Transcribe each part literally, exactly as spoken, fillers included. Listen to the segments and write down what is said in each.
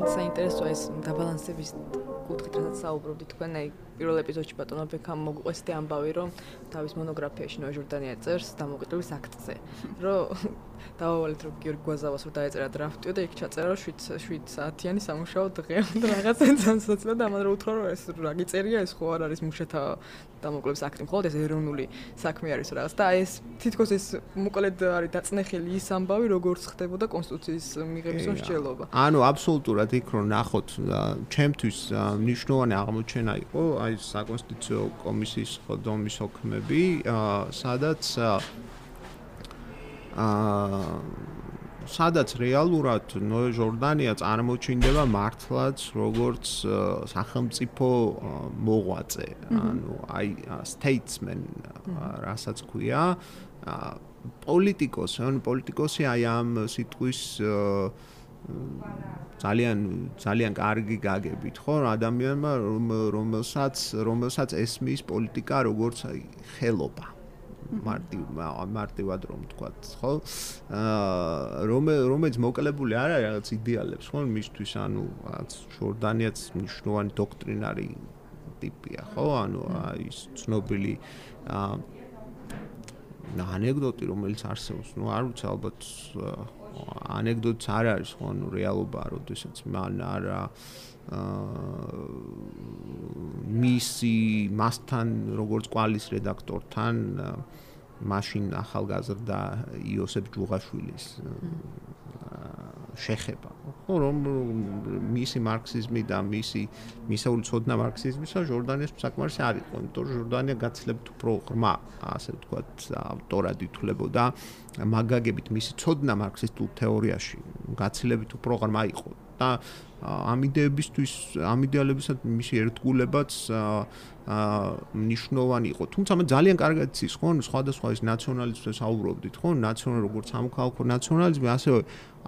საინტერესოა ეს დაბალანსების კუთხით, რასაც საუბრობდი თქვენ, აი პირველ ეპიზოდში ბატონო ბექამ მოგვყვესდი ამბავი, რომ თავის მონოგრაფიაში ნოა ჟორდანია წერს დამოუკიდებლობის აქტზე, რომ დავავალეთ რომ გიორგი გვაზავას რომ დაეწერა დრაფტიო და იქ ჩაწერა შვიდ საათიანი სამუშაო დღე და რაღაც ენცანსაცდა და ამან რომ უთხრა რომ ეს რა გიწერია ეს ხო არ არის მუშათა დამოუკიდებლობის აქტი, მხოლოდ ეს ეროვნული საქმე არის რაღაც და ეს თითქოს ეს მოკლედ არის დაწნეხილი ის ამბავი როგორც ხდებოდა კონსტიტუციის მიღების მსჯელობა. ანუ აბსოლუტურად იქ რომ ნახოთ ჩემთვის მნიშვნელოვანი აღმოჩენა იყო აი საკონსტიტუციო კომისიის ხდომის ოქმები, სადაც აა სადაც რეალურად ნოე ჟორდანია წარმოჩინდება მართლაც როგორც სახელმწიფო მოღვაწე, ანუ აი statesman, რასაც ქვია, პოლიტიკოსი, ანუ პოლიტიკოსი აი ამ სიტყვის ძალიან ძალიან კარგი გაგებით, ხო, ადამიანმა რომელსაც რომელსაც ესმის პოლიტიკა როგორც აი ხელობა. მარტივ მარტივად რომ ვთქვათ, ხო? აა რომელიც მოკლებული არ არის რაღაც იდეალებს, ხო? მისთვის, ანუ რაღაც ჟორდანიაც მნიშვნელოვანი დოქტრინარი ტიპია, ხო? ანუ ის ცნობილი აა ანეკდოტი, რომელიც არსებობს, ну არ ვიცი, ალბათ ანეკდოტიც არ არის, ხო, ანუ რეალობა, როდესაც მან არა მისი მასთან როგორც კვალის რედაქტორთან მაშინ ახალგაზრდა იოსებ ჯუღაშვილის შეხება. ხო, რომ მისი მარქსიზმი და მისი მისეული ცოდნა მარქსიზმისა ჟორდანიას საკმარისი არ იყო, იმიტომ რომ ჟორდანია გაცილებით უფრო ღრმა, ასე ვთქვათ, ავტორად ითვლებოდა, მაგაგებით მისი ცოდნა მარქსისტულ თეორიაში გაცილებით უფრო ღრმა იყო. და ამ იდეებისთვის, ამ იდეალებისად მისი ერთგულებაც მნიშვნელოვანი იყო. თუმცა მე ძალიან კარგად იცის, ხო, სხვადასხვა ის ნაციონალიზმს აუბრობდით, ხო, ნაციონალ როგორც სამოქალაქო ნაციონალიზმი, ასევე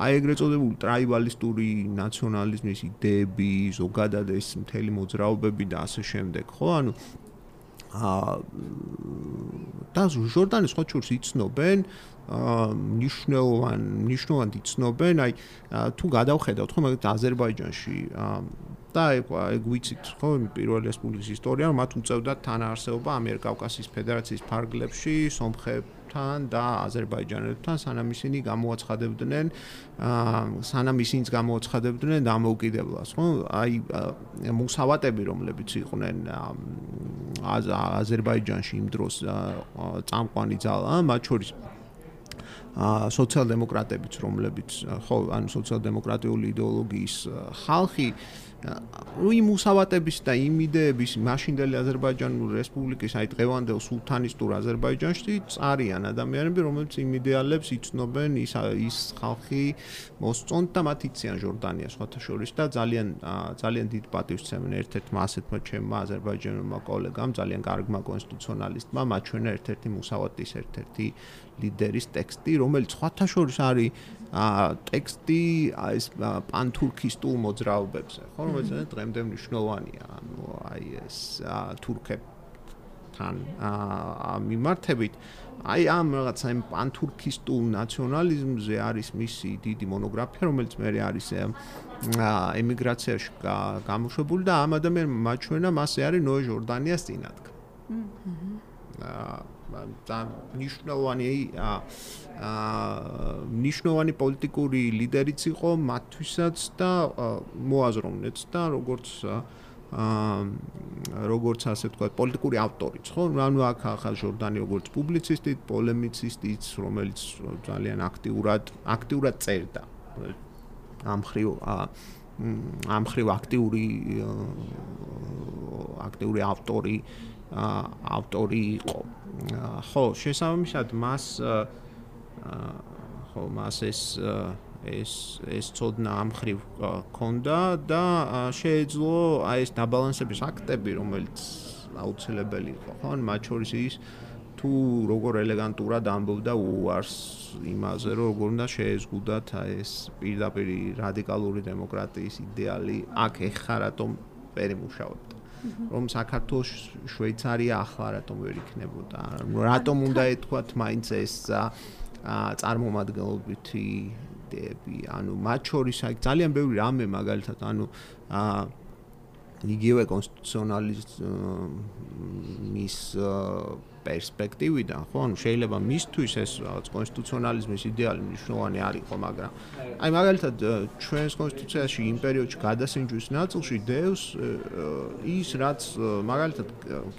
აი ეგრეთ წოდებული ტრაიბალისტური ნაციონალიზმის იდეები, ზოგადად ეს მთელი მოძრაობები და ასე შემდეგ, ხო, ანუ აა და ჟორდანის სხვა შორს იცნობენ მნიშვნელოვან მნიშვნელოვან იცნობენ, აი თუ გადავხედავთ, ხო, მაგალითად აზერბაიჯანში და ეგ ვიცით, ხო, პირველი რესპუბლიკის ისტორია, რომ მათ უწევდათ თანაარსეობა ამიერკავკასიის ფედერაციის ფარგლებში სომხებთან და აზერბაიჯანელებთან, სანამ ისინი გამოაცხადებდნენ, სანამ ისინიც გამოაცხადებდნენ დამოუკიდებლობას, ხო? აი მუსავატები, რომლებიც იყვნენ აზერბაიჯანში იმ დროს წამყვანი ძალა, მათ შორის ა სოციალ-დემოკრატებიც, რომლებიც ხო, ანუ სოციალ-დემოკრატიული იდეოლოგიის ხალხი, იმ მუსავატების და იმ იდეების მაშინდელი აზერბაიჯანული რესპუბლიკის, აი დღევანდელ სულთანისტურ აზერბაიჯანში წარიან ადამიანები, რომლებიც იმ იდეალებს იცნობენ, ის ის ხალხი მოსწონთ და მათ იციან ჟორდანიას სხვათა შორის და ძალიან ძალიან დიდ პატივს სცემენ ერთ-ერთმა ასეთმა ჩემმა აზერბაიჯანულმა კოლეგამ, ძალიან კარგმა კონსტიტუციონალისტმა, მაჩვენა ერთ-ერთი მუსავატის ერთ-ერთი ლიდერის ტექსტი, რომელიც სხვათა შორის არის ტექსტი ეს პანთურქისტულ მოძრაობებზე, ხო, რომელიც დღემდე მნიშვნელოვანია, ანუ აი ეს თურქებთან მიმართებით, აი ამ რაღაცა იმ პანთურქისტულ ნაციონალიზმზე არის მისი დიდი მონოგრაფია, რომელიც მე არის ემიგრაციაში გამოშვებული და ამ ადამიანმა მაჩვენა მასე არის ნოე ჟორდანიას წინადგა. და ნიშნავანი ნიშნავანი პოლიტიკური ლიდერიც იყო მათთვისაც და მოაზროვნეც და როგორც როგორც ასე ვთქვათ პოლიტიკური ავტორიც, ხო? ანუ აქ ახალ ჟორდანი როგორც პუბლიცისტი, პოლემიცისტიც, რომელიც ძალიან აქტიურად აქტიურად წერდა. ამ ხრივ ამ ხრივ აქტიური აქტიური ავტორი ავტორი იყო. ხო, შესაბამისად მას ხო, მას ეს ეს ეს ცოდნა ამ ხრივ ქონდა და შეეძლო აი ეს დაბალანსების აქტები, რომელიც აუცილებელი იყო, ხო? მათ შორის ის თუ როგორ ელეგანტურად ამბობდა უარს იმაზე, რომ როგორ უნდა შეეზღუდათ ეს პირდაპირ რადიკალური დემოკრატიის იდეალი, აქ ეხა რატომ ვერ იმუშავებდა. რომ საქართველოს შვეიცარია ახლა რატომ ვერ იქნებოდა? რატომ უნდა ეთქვათ მაინც ეს წარმომადგენლობითი იდეები, ანუ მათ შორის აი ძალიან ბევრი რამე მაგალითად, ანუ იგივე კონსტიტუციონალიზმის პერსპექტივიდან, ხო, ანუ შეიძლება მისთვის ეს რაღაც კონსტიტუციონალიზმის იდეალი მნიშვნელოვანი არ იყო, მაგრამ აი მაგალითად ჩვენს კონსტიტუციაში იმ პერიოდში გადასინჯვის ნაწილში დევს ის, რაც მაგალითად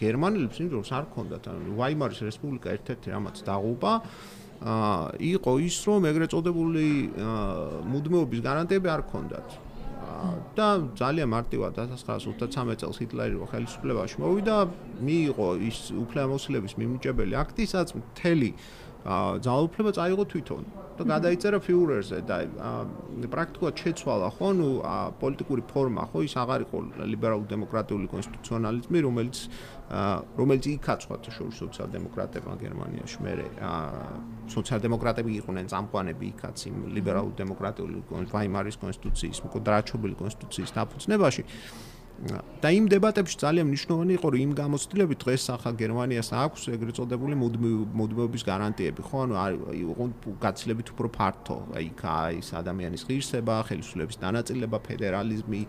გერმანელებს იმდროს არ ჰქონდათ, ანუ ვაიმარის რესპუბლიკა ერთ-ერთი რამაც დაღუპა იყო ის, რომ ეგრეთ წოდებული მუდმივობის გარანტიები არ ჰქონდათ. და ძალიან მარტივად ათას ცხრაასი ოცდათსამეტ წელს ჰიტლერი რო ხელისუფლებაში მოვიდა, მიიღო ის უფლებამოსილების მიმნიჭებელი აქტი, სადაც მთელი ძალაუფლება წაიღო თვითონ და გადაიწერა ფიურერზე და პრაქტიკულად შეცვალა ხო, ნუ პოლიტიკური ფორმა ხო, ის აღარ იყო ლიბერალურ-დემოკრატიული კონსტიტუციონალიზმი, რომელიც რომელიც იქაცვათ შორის სოციალ-დემოკრატებმა გერმანიაში, მერე სოციალ-დემოკრატები იყვნენ წამყვანები იქაც იმ ლიბერალურ-დემოკრატიული ვაიმარის კონსტიტუციის, მკვდრაჩობილი კონსტიტუციის დაფუძნებაში. და იმ დებატებში ძალიან მნიშვნელოვანი იყო, რომ იმ გამოცდილებით დღეს ახალ გერმანიას აქვს ეგრეთ წოდებული მუდმივობის გარანტიები, ხო, ანუ იყო გაცილებით უფრო ფართო, აი ის ადამიანის ღირსება, ხელისუფლების დანაწილება, ფედერალიზმი,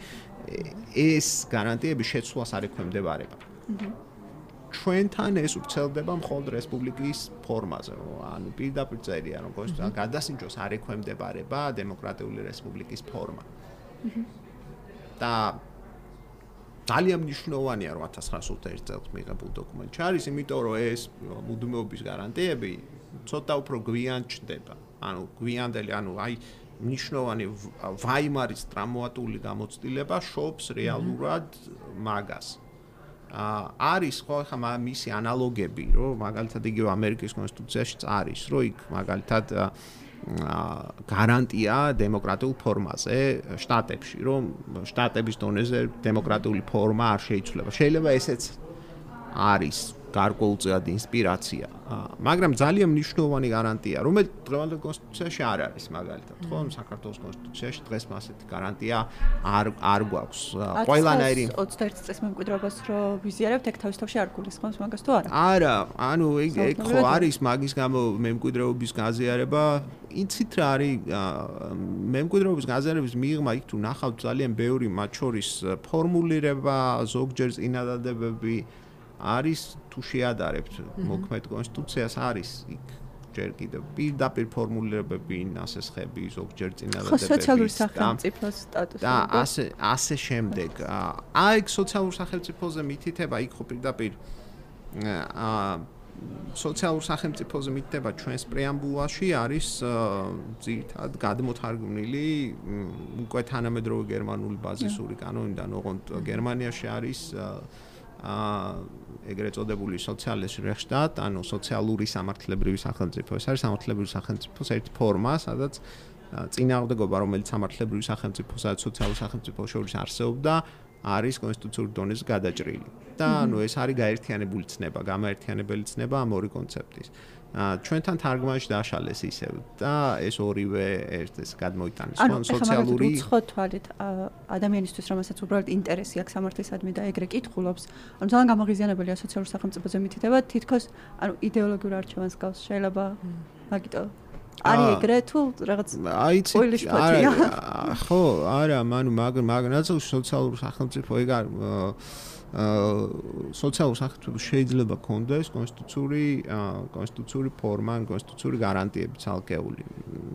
ეს გარანტიები შეცვლას არ ექვემდებარება. ჩვენთან ეს ვრცელდება მხოლოდ რესპუბლიკის ფორმაზე, ანუ პირდაპირ წერია, რომ გადასინჯოს არ ექვემდებარება დემოკრატიული რესპუბლიკის ფორმა. და ძალიან მნიშვნელოვანია, რომ ათას ცხრაასი ოცდაერთი წელს მიღებულ დოკუმენტში არის, იმიტომ რომ ეს მუდმივობის გარანტიები ცოტა უფრო გვიან ჩნდება. ანუ გვიანდელი, ანუ აი მნიშვნელოვანი ვაიმარის ტრამვატული გამოცდილება შობს რეალურად მაგას. არის ხო ხა მისი ანალოგები, რომ მაგალითად იგივე ამერიკის კონსტიტუციაშიც არის, რომ იქ მაგალითად გარანტია დემოკრატიულ ფორმაზე შტატებში, რომ შტატების დონეზე დემოკრატიული ფორმა არ შეიცვლება. შეიძლება ესეც არის გარკვეულწილად ინსპირაცია, მაგრამ ძალიან მნიშვნელოვანი გარანტია, რომელიც დღევანდელ კონსტიტუციაში არ არის მაგალითად, ხო, საქართველოს კონსტიტუციაში დღეს მასეთი გარანტია არ არ გვაქვს. ყველანაირი ოცდაერთი წლის მემკვიდრეობას რო ვიზიარებთ, ეგ თავის თავში არ გულისხმობს მაგას თუ არა? არა, ანუ ეგ ეგ ხო არის მაგის გამო მემკვიდრეობის გაზიარება. იცით რა არის მემკვიდრეობის გაზიარების მიღმა იქ თუ ნახავთ ძალიან ბევრი მათ შორის ფორმულირება, ზოგჯერ წინადადებები არის თუ შეადარებთ მოქმედ კონსტიტუციას არის იქ ჯერ კიდევ პირდაპირ ფორმულირებები, ნასესხები, ზოგჯერ წინადადებები. ხო, სოციალური სახელმწიფოს სტატუსი. და ასე ასე შემდეგ. აი სოციალურ სახელმწიფოზე მითითება იქ ხო პირდაპირ აა სოციალურ სახელმწიფოზე მითითება ჩვენს პრეამბულაში არის ძირითადად გადმოთარგმნილი უკვე თანამედროვე გერმანული ბაზისური კანონიდან, ოღონდ გერმანიაში არის აა ეგრეთ წოდებული სოციალისტ რეხშტატ, ანუ სოციალური სამართლებრივი სახელმწიფო. ეს არის სამართლებრივი სახელმწიფოს ერთი ფორმა, სადაც წინააღმდეგობა, რომელიც სამართლებრივი სახელმწიფოსა და სოციალურ სახელმწიფოს შორის არსებობდა, არის კონსტიტუციური დონეზე გადაჭრილი. და ანუ ეს არის გაერთიანებული ცნება, გამაერთიანებელი ცნება ამ ორი კონცეფტის. ჩვენთან თარგმანში დაშალეს ისევ და ეს ორივე ერთ ეს გადმოიტანეს სოციალური უცხო თვალით ადამიანისთვის, რომელსაც უბრალოდ ინტერესი აქვს სამართლისადმი და ეგრე კითხულობს, ანუ ძალიან გამაღიზიანებელია სოციალურ სახელმწიფოზე მითითება, თითქოს ანუ იდეოლოგიურ არჩევანს გავს, შეიძლება მაგიტო არის ეგრე თუ რაღაც აიცი ხო, არა, მანუ მაგ მაგ ნაწილში სოციალურ სახელმწიფო ეგ არ აა სოციალურ სახელმწიფოს შეიძლება კონდეს კონსტიტუციური კონსტიტუციური ფორმა, კონსტიტუციური გარანტიები ცალკეული.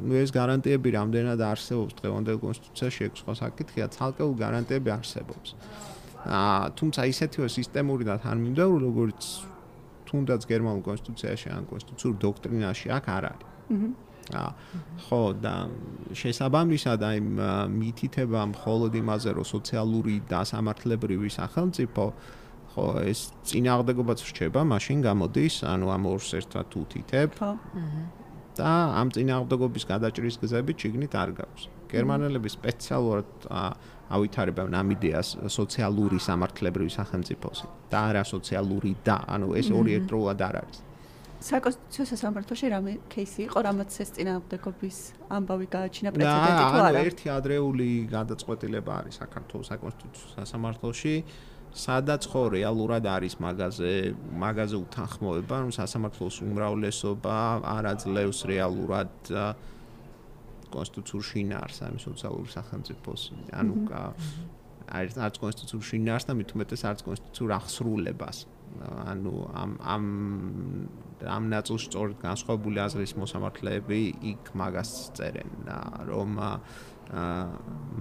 ნუ ეს გარანტიები რამდენად არსებობს დღევანდელ კონსტიტუციაში, ეგ სხვა საკითხია, ცალკეული გარანტიები არსებობს. აა თუმცა ისეთივე სისტემური და თანმიმდევრული, როგორც თუნდაც გერმანულ კონსტიტუციაში ან კონსტიტუციურ დოქტრინაში აქ არ არის. აჰა ხო და შესაბამისად აი მითითება მხოლოდ იმაზე, რომ სოციალური და სამართლებრივი სახელმწიფო ხო ეს წინააღმდეგობაც რჩება, მაშინ გამოდის, ანუ ამ ორს ერთად უთითებ. ხო. და ამ წინააღმდეგობის გადაჭრის გზები ჩიგნით არ გაქვს. გერმანელები სპეციალურად ავითარებენ ამ იდეას სოციალური სამართლებრივი სახელმწიფოსი და არა სოციალური და, ანუ ეს ორი ერთდროულად არ არის. საკონსტიტუციო სასამართლოში რამე кейსი იყო, რამაც ეს წინააღმდეგობის ამბავი გააჩინა პრეცედენტი თუ არა? ერთი ადრეული გადაწყვეტილება არის საქართველოს საკონსტიტუციო სასამართლოში, სადაც ხო რეალურად არის მაგაზე, მაგაზე უთანხმოება, რომ სასამართლოს უმრავლესობა არ აძლევს რეალურად კონსტიტუციურ შინაარსს, ამის სოციალური სახელმწიფოს, ანუ არის არც კონსტიტუციურ შინაარსს და მით უმეტეს არც კონსტიტუციურ აღსრულებას. ანუ ამ ამ ამ ნაწილში სწორედ განსხვავებული აზრის მოსამართლეები იქ მაგას წერენ, რომ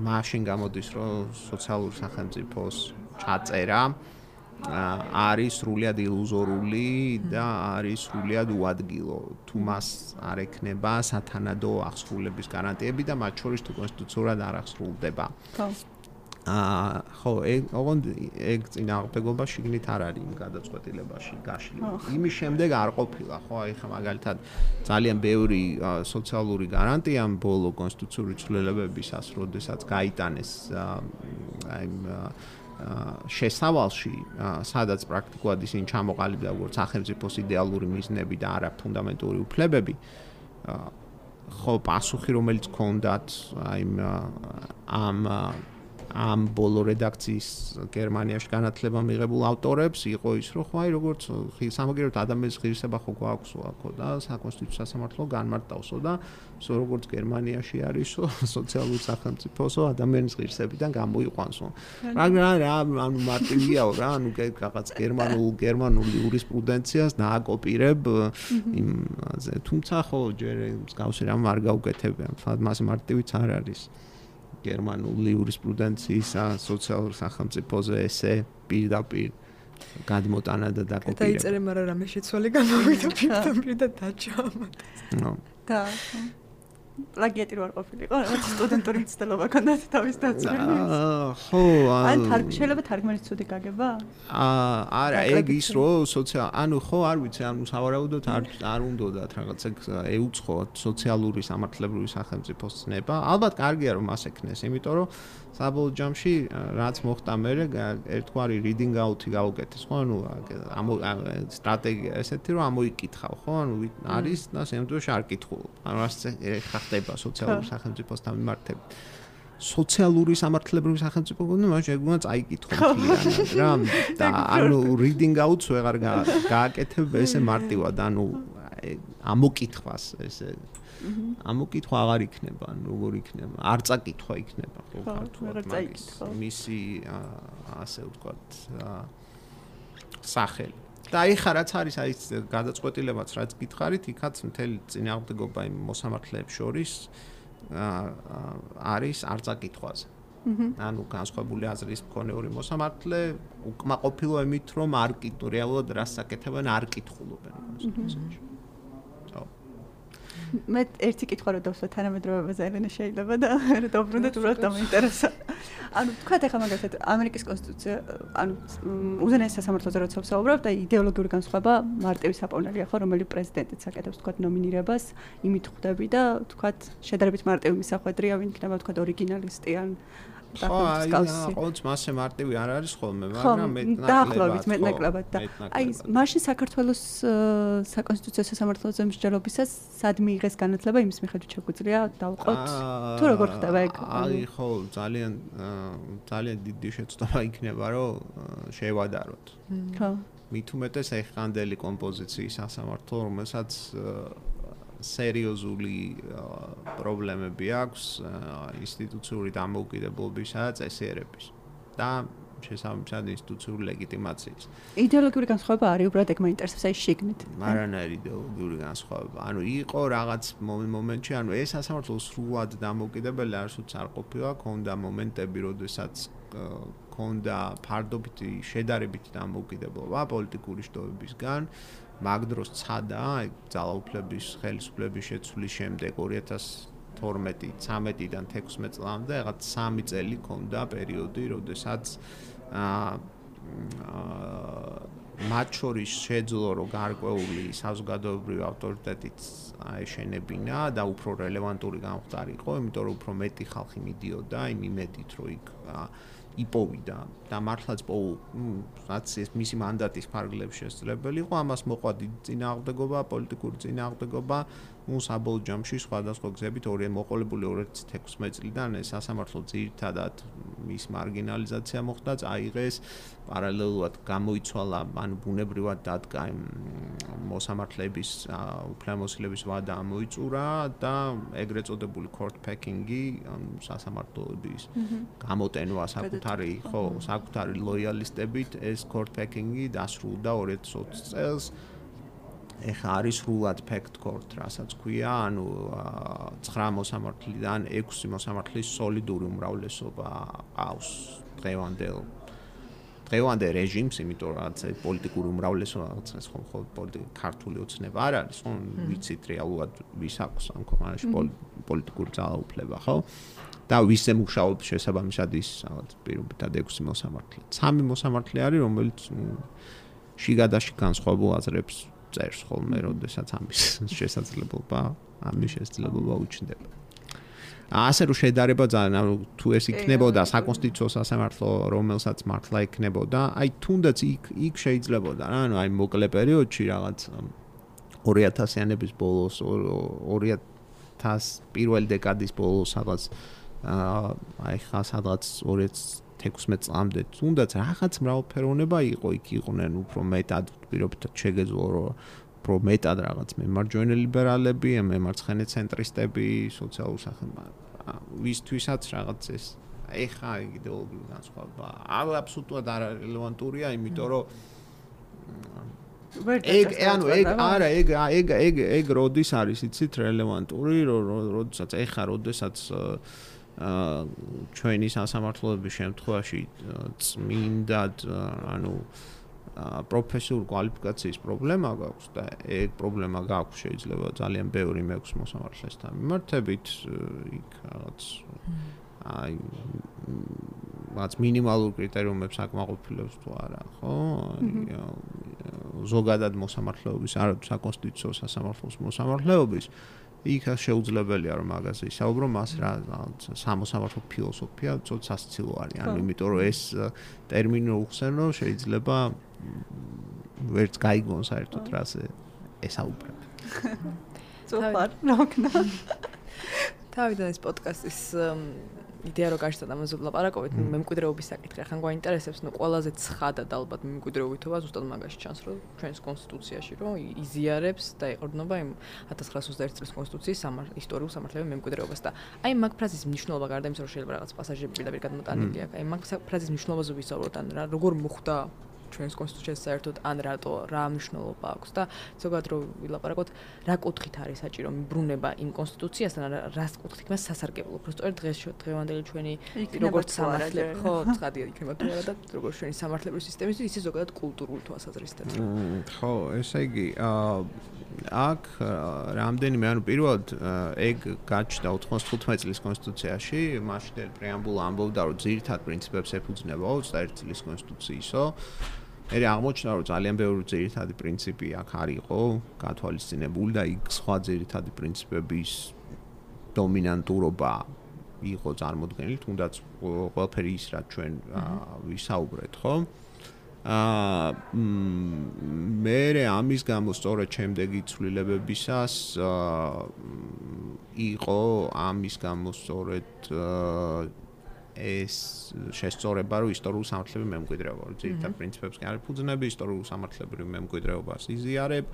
მაშინ გამოდის, რომ სოციალური სახელმწიფოს ჩაწერა არის სრულიად ილუზორული და არის სრულიად უადგილო. თუ მას არ ექნება სათანადო აღსრულების გარანტიები და მათ შორის თუ კონსტიტუციურად არ აღსრულდება. ხო. აა ხო, ოღონდ ეგ წინააღმდეგობა შიგნით არ არის იმ გადაწყვეტილებაში გაშლილი. იმის შემდეგ არ ყოფილა, ხო, აი ხა მაგალითად ძალიან ბევრი სოციალური გარანტია ბოლო კონსტიტუციური ცვლილებებისას, როდესაც გაიტანეს აი შესავალში, სადაც პრაქტიკულად ისინი ჩამოყალიბდა როგორც სახელმწიფოს იდეალური მიზნები და არა ფუნდამენტური უფლებები. ხო, პასუხი რომელიც ჰქონდათ აი ამ ამ ბოლო რედაქციის გერმანიაში განათლება მიღებულ ავტორებს იყო ის, რომ ხო აი როგორც სამაგიეროდ ადამიანის ღირსება ხო გვაქვსო აქო და საკონსტიტუციო სასამართლო განმარტავსო და სო როგორც გერმანიაში არისო სოციალური სახელმწიფოსო ადამიანის ღირსებიდან გამოიყვანსო. მაგრამ რა ანუ მარტივიაო რა, ანუ რაღაც გერმანულ გერმანულ იურისპრუდენციას დააკოპირებ იმაზე. თუმცა ხო ჯერ მსგავსი რამ არ გაუკეთებია. თუმცა მას მარტივიც არ არის. გერმანული იურისპრუდენციის სოციალურ სახელმწიფოზე ესე პირდაპირ გადმოტანა და დაკოპირება. დაიწერე, მაგრამ რამე შეცვალე გამოვიდა პირდაპირ და დაჭამა. ნო. და პლაგიატი რო არ ყოფილიყო, რაღაც სტუდენტური მცდელობა ქონდათ თავის დაწვრილი. აა, ხო, ან თარგ შეიძლება თარგმანის ცუდი გაგება? აა, არა, ეგ ის რო სოციალ, ანუ ხო, არ ვიცი, ანუ სავარაუდოდ არ არ უნდათ რაღაც ეგ ეუწყოთ სოციალური სამართლებრივი სახელმწიფოს ცნება. ალბათ კარგია რომ მას ეკნეს, იმიტომ რომ საბოლოო ჯამში რაც მოხდა მერე ერთგვარი reading out-ი გაუკეთეს, ხო, ანუ ამ სტრატეგია ესეთი რომ ამოიკითხავ, ხო, ანუ არის და შემდგომში არ კითხულობ. ანუ რაც ხდება სოციალური სახელმწიფოსთან მიმართებით. სოციალური სამართლებრივი სახელმწიფო გონდა, მაშინ ეგ უნდა წაიკითხო მთლიანად რა. და ანუ reading out-ს ვეღარ გააკეთებ ესე მარტივად, ანუ ამოკითხვას ესე ამოკითხვა აღარ იქნება, ანუ როგორ იქნება? არ წაკითხვა იქნება, ხო, ქართულად მაგის მისი ასე ვთქვათ სახელი. და აი ხა რაც არის აი გადაწყვეტილებაც რაც გითხარით, იქაც მთელი წინააღმდეგობა იმ მოსამართლეებს შორის არის არ წაკითხვაზე. ანუ განსხვავებული აზრის მქონე მოსამართლე უკმაყოფილო იმით, რომ არ კითხულობენ, რეალურად რას აკეთებენ, არ კითხულობენ კონსტიტუციაში. მე ერთი კითხვა რო დავსვა თანამედროვეობაზე ელენე შეიძლება და დაუბრუნდეთ უბრალოდ დამაინტერესა. ანუ თქვა ეხლა მაგალითად ამერიკის კონსტიტუცია, ანუ უზენაეს სასამართლოზე როცა ვსაუბრობ და იდეოლოგიური განსხვავება მარტივი საპოვნელია ხო, რომელიც პრეზიდენტიც აკეთებს თქვა ნომინირებას, იმით ხვდები და თქვა შედარებით მარტივი მისახვედრია, ვინ იქნება თქვა ორიგინალისტი ან ხო, აი, ყოველთვის მასე მარტივი არ არის ხოლმე, მაგრამ მეტნაკლებად. დაახლოებით მეტნაკლებად და აი, მაშინ საქართველოს საკონსტიტუციო სასამართლოზე მსჯელობისას სად მიიღეს განათლება, იმის მიხედვით შეგვიძლია დავყოთ თუ როგორ ხდება ეგ? აი, ხო, ძალიან ძალიან დიდი შეცდომა იქნება, რომ შევადაროთ. ხო. მით უმეტეს ეხანდელი კომპოზიციის სასამართლო, რომელსაც სერიოზული პრობლემები აქვს ინსტიტუციური დამოუკიდებლობისა და წესიერების და შესაბამისად ინსტიტუციური ლეგიტიმაციის. იდეოლოგიური განსხვავება არის უბრალოდ ეგ მაინტერესებს აი შიგნით. მარანაირი იდეოლოგიური განსხვავება. ანუ იყო რაღაც მომენტში, ანუ ეს სასამართლო სრულად დამოუკიდებელი არასოდეს არ ყოფილა, ქონდა მომენტები, როდესაც ქონდა ფარდობითი შედარებითი დამოუკიდებლობა პოლიტიკური შტოებისგან. მაგ დროს ცადა აი ძალაუფლების ხელისუფლების შეცვლის შემდეგ ორი ათას თორმეტი ცამეტიდან თექვსმეტ წლამდე რაღაც სამი წელი ქონდა პერიოდი, როდესაც აა მათ შორის შეძლო რომ გარკვეული საზოგადოებრივი ავტორიტეტიც აეშენებინა და უფრო რელევანტური გამხდარიყო, იმიტომ რომ უფრო მეტი ხალხი მიდიოდა იმ იმედით, რომ იქ იპოვიდა და მართლაც პოუ, რაც ეს მისი მანდატის ფარგლებში შესაძლებელი იყო, ამას მოყვა დიდი წინააღმდეგობა, პოლიტიკური წინააღმდეგობა, ну საბოლოო ჯამში სხვადასხვა გზებით ორი მოყოლებული ორი ათი ათექვსმეტ წლიდან ეს სასამართლო ძირითადად მის მარგინალიზაცია მოხდა, წაიღეს, პარალელურად გამოიცვალა, ანუ ბუნებრივად დადგა მოსამართლეების უფლებამოსილების ვადა ამოიწურა და ეგრეთ წოდებული court packing-ი სასამართლოების გამოტენვა საკუთარი, ხო, საკუთარი ლოიალისტებით ეს court packing-ი დასრულდა ორი ათი ოცი წელს. ეხა არის სრულად fact court, რასაც ქვია, ანუ ცხრა მოსამართლიდან ექვსი მოსამართლის სოლიდური უმრავლესობა ყავს დღევანდელ დღევანდელ რეჟიმს, იმიტომ რომ რაც პოლიტიკური უმრავლესობა რაღაცას ხო ხო ქართული ოცნება არ არის, ხო ვიცით რეალურად ვის აქვს ამ ქვეყანაში პოლიტიკური ძალაუფლება, ხო? და ვის ემუშაობს შესაბამისად ის რაღაც პირობითად ექვსი მოსამართლე. სამი მოსამართლე არის, რომელიც შიგადაში განსხვავებულ აზრებს წერს ხოლმე, როდესაც ამის შესაძლებლობა, ამის შესაძლებლობა უჩნდება. ასე რომ შედარება ძალიან, ანუ თუ ეს იქნებოდა საკონსტიტუციო სასამართლო, რომელსაც მართლა იქნებოდა, აი თუნდაც იქ იქ შეიძლებოდა რა, ანუ აი მოკლე პერიოდში რაღაც ორი ათასიანების ბოლოს, ორი ათას პირველი დეკადის ბოლოს რაღაც აი ხა სადღაც ორი ათი ათექვსმეტ წლამდე თუნდაც რაღაც მრავალფეროვნება იყო, იქ იყვნენ უფრო მეტად პირობითად შეგეძლო რომ უფრო მეტად რაღაც მემარჯვენე ლიბერალები, მემარცხენე ცენტრისტები, სოციალური სახელმწიფო ვისთვისაც რაღაც ეს ეხა იდეოლოგიური განსხვავება აბსოლუტურად არარელევანტურია, იმიტომ რომ ეგ ანუ ეგ არა ეგ ეგ ეგ ეგ როდის არის იცით რელევანტური, როდესაც ეხა როდესაც აა ჩვენი სასამართლოების შემთხვევაში წმინდად ანუ პროფესიულ კვალიფიკაციის პრობლემა გაქვს და ეგ პრობლემა გაქვს შეიძლება ძალიან ბევრი მეექვსე მოსამართლესთან მიმართებით იქ რაღაც აი რაც მინიმალურ კრიტერიუმებს აკმაყოფილებს თუ არა, ხო? ზოგადად მოსამართლეობის არა საკონსტიტუციო სასამართლოს მოსამართლეობის იქ შეუძლებელია რომ მაგაზე ისაუბრო, მას რა სამოსამართლო ფილოსოფია ცოტა სასცილო არის, ანუ იმიტომ რომ ეს ტერმინი უხსენო შეიძლება ვერც გაიგონ საერთოდ რაზე ესაუბრებ. ზოგადად ნოკნა. თავიდან ეს პოდკასტის იდეა რო გაჩნდა ამაზე ვლაპარაკობთ, მემკვიდრეობის საკითხი ახლა გვაინტერესებს, ნუ ყველაზე ცხადად ალბათ მემკვიდრეობითობა ზუსტად მაგაში ჩანს, რომ ჩვენს კონსტიტუციაში რომ იზიარებს და ეყრდნობა იმ ათას ცხრაასი ოცდაერთი წლის კონსტიტუციის ისტორიულ სამართლებრივ მემკვიდრეობას და აი მაგ ფრაზის მნიშვნელობა გარდა იმისა, რომ შეიძლება რაღაც პასაჟები პირდაპირ გადმოტანილი აქვს, აი მაგ ფრაზის მნიშვნელობაზე ვისაუბროთ, ან რა როგორ მოხდა ჩვენს კონსტიტუციას საერთოდ ან რატო რა მნიშვნელობა აქვს და ზოგადად რომ ვილაპარაკოთ რა კუთხით არის საჭირო მიბრუნება იმ კონსტიტუციასთან რას კუთხით მას სასარგებლო უბრალოდ დღეს დღევანდელი ჩვენი როგორც სამართლები ხო ცხადია იქნება თუ არა და როგორც ჩვენი სამართლებრივი სისტემისთვის ისე ზოგადად კულტურული თვალსაზრისით ხო ესე იგი აქ რამდენიმე ანუ პირველად ეგ გაჩნდა ოთხმოცდახუთმეტ წლის კონსტიტუციაში მაშინდელი პრეამბულა ამბობდა რომ ძირითად პრინციპებს ეფუძნება ოცდაერთი წლის კონსტიტუციისო ერი აღმოჩნდა რომ ძალიან ბევრი ძირითადი პრინციპი აქ არისო გათვალისწინებული და იქ სხვა ძირითადი პრინციპების დომინანტურობა იყო წარმოდგენილი თუნდაც ყველაფერი ის რაც ჩვენ ვისაუბრეთ ხო აა მე ამის გამო სწორედ შემდეგი ცვლილებებისას იყო ამის გამო სწორედ ეს შესწორება რომ ისტორიულ სამართლებრივ მემკვიდრეობა ძირითად პრინციპებს კი არ ეფუძნება ისტორიულ სამართლებრივ მემკვიდრეობას იზიარებ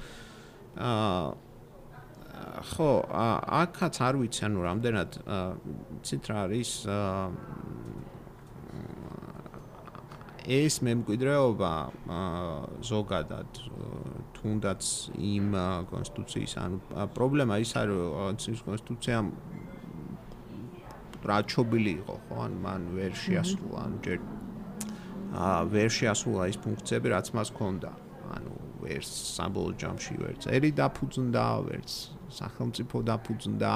აა ხო აქაც არ ვიცი ანუ რამდენად ცით რა არის ეს მემკვიდრეობა ზოგადად თუნდაც იმ კონსტიტუციის ანუ პრობლემა ის არის რომ ის კონსტიტუცია რაჩობილი იყო ხო ან მან ვერ შეასრულა ანუ ჯერ აა ვერ შეასრულა ის ფუნქციები რაც მას ჰქონდა ანუ ვერ საბოლოო ჯამში ვერ წერი დაფუძნდა ვერც სახელმწიფო დაფუძნდა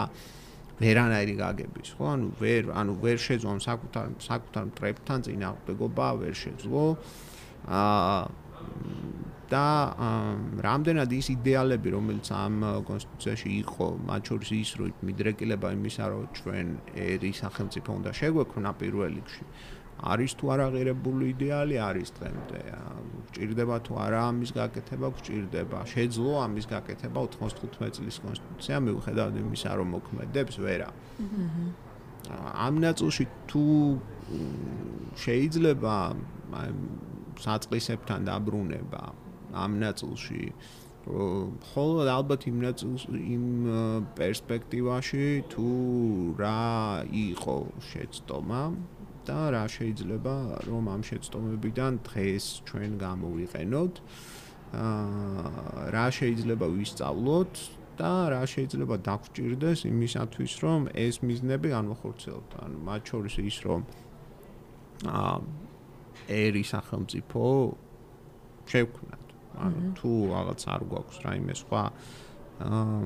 ვერანაირი გაგების ხო ანუ ვერ ანუ ვერ შეძლო საკუთარ საკუთარ მტრებთან წინააღმდეგობა ვერ შეძლო აა და რამდენად ის იდეალები რომელიც ამ კონსტიტუციაში იყო მათ შორის ის რომ მიდრეკილება იმისა რომ ჩვენ ერი სახელმწიფო უნდა შეგვექმნა პირველ რიგში არის თუ არა ღირებული იდეალი არის დღემდე. გჭირდება თუ არა ამის გაკეთება, გჭირდება. შეძლო ამის გაკეთება ოთხმოცდახუთი წლის კონსტიტუცია მიუხედავად იმისა, რომ მოქმედებს ვერა. ამ ნაწილში თუ შეიძლება საწყისებთან დაბრუნება ამ ნაწილში ხოლო ალბათ იმ ნაწილში იმ პერსპექტივაში თუ რა იყო შეცდომა და რა შეიძლება რომ ამ შეცდომებიდან დღეს ჩვენ გამოვიყენოთ რა შეიძლება ვისწავლოთ და რა შეიძლება დაგვჭირდეს იმისათვის რომ ეს მიზნები განვახორციელოთ ანუ მათ შორის ის რომ აა ერი სახელმწიფო შევქმნათ ანუ თუ რაღაც არ გვაქვს რაიმე სხვა აა